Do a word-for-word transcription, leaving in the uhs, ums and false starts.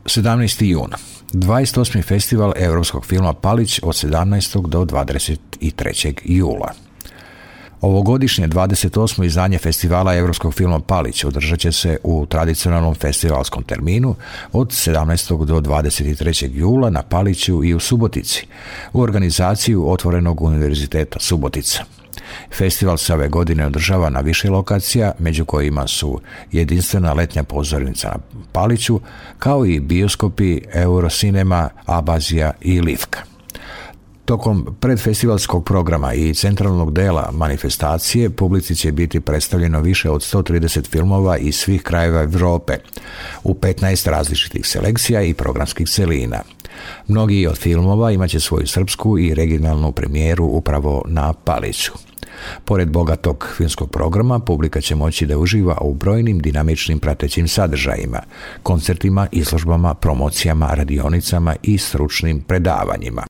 sedamnaesti jun. dvadeset osmi festival europskog filma Palić od sedamnaestog do dvadeset trećeg jula. Ovogodišnje dvadeset osmo izdanje festivala europskog filma Palić održat će se u tradicionalnom festivalskom terminu od sedamnaestog do dvadeset trećeg jula na Paliću i u Subotici, u organizaciju Otvorenog univerziteta Subotica. Festival se ove godine održava na više lokacija, među kojima su jedinstvena letnja pozornica na Paliću, kao i bioskopi Eurocinema, Abazija i Livka. Tokom predfestivalskog programa i centralnog dela manifestacije publici će biti predstavljeno više od sto trideset filmova iz svih krajeva Europe u petnaest različitih selekcija i programskih celina. Mnogi od filmova imaće svoju srpsku i regionalnu premijeru upravo na Paliću. Pored bogatog filmskog programa, publika će moći da uživa u brojnim dinamičnim pratećim sadržajima, koncertima, izložbama, promocijama, radionicama i stručnim predavanjima.